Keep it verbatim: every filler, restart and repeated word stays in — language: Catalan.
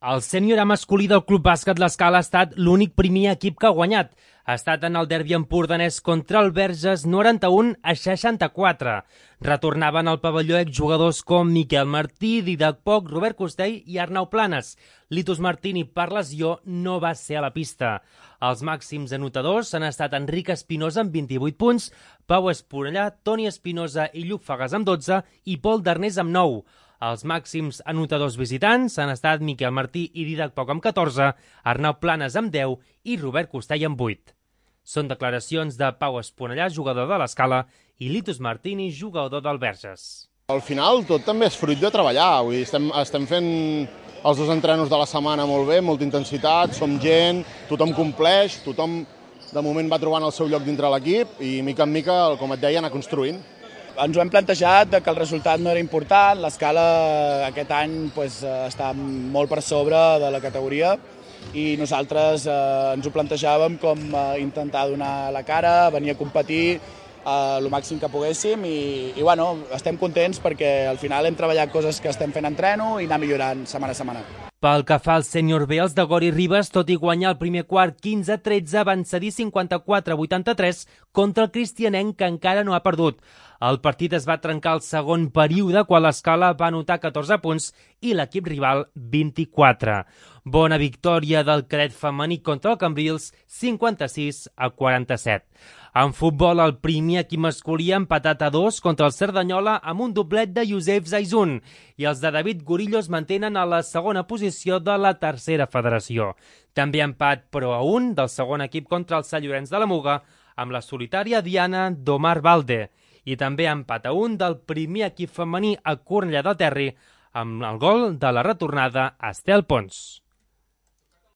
El sènior A masculí del Club Bàsquet L'Escala ha estat l'únic primer equip que ha guanyat. Ha estat en el derbi empordanès contra el Verges noranta-un a seixanta-quatre. Retornaven al pavelló exjugadors com Miquel Martí, Didac Poch, Robert Costell i Arnau Planes. Litus Martini, per lesió, no va ser a la pista. Els màxims anotadors han estat Enric Espinosa amb vint-i-vuit punts, Pau Esponellà, Toni Espinosa i Lluc Fagas amb dotze i Pol Darnés amb nou. Els màxims anotadors visitants han estat Miquel Martí i Didac Poch amb catorze, Arnau Planes amb deu i Robert Costell amb vuit. Són declaracions de Pau Esponellà, jugador de l'Escala, i Litus Martini, jugador del Verges. Al final tot també és fruit de treballar. Vull dir, estem, estem fent els dos entrenos de la setmana molt bé, molta intensitat, som gent, tothom compleix, tothom de moment va trobant el seu lloc dintre l'equip i mica en mica, com et deia, anar construint. Ens ho hem plantejat que el resultat no era important, l'Escala aquest any pues, està molt per sobre de la categoria i nosaltres eh, ens ho plantejàvem com eh, intentar donar la cara, venir a competir eh, el màxim que poguéssim i, i bueno, estem contents perquè al final hem treballat coses que estem fent a entreno i anar millorant setmana a setmana. Pel que fa al sènior B, els de Gori Ribes, tot i guanyar el primer quart quinze a tretze, van cedir cinquanta-quatre a vuitanta-tres contra el cristianenc, que encara no ha perdut. El partit es va trencar al segon període, quan l'Escala va anotar catorze punts i l'equip rival vint-i-quatre. Bona victòria del cadet femení contra el Cambrils, cinquanta-sis a quaranta-set. En futbol, el primer equip masculí ha empatat a dos contra el Cerdanyola amb un doblet de Youssef Zaizun i els de David Gorillo es mantenen a la segona posició de la tercera federació. També empat però a un del segon equip contra el Sant Llorenç de la Muga amb la solitària diana d'Omar Valde i també empat a un del primer equip femení a Cornellà del Terri amb el gol de la retornada Estel Pons.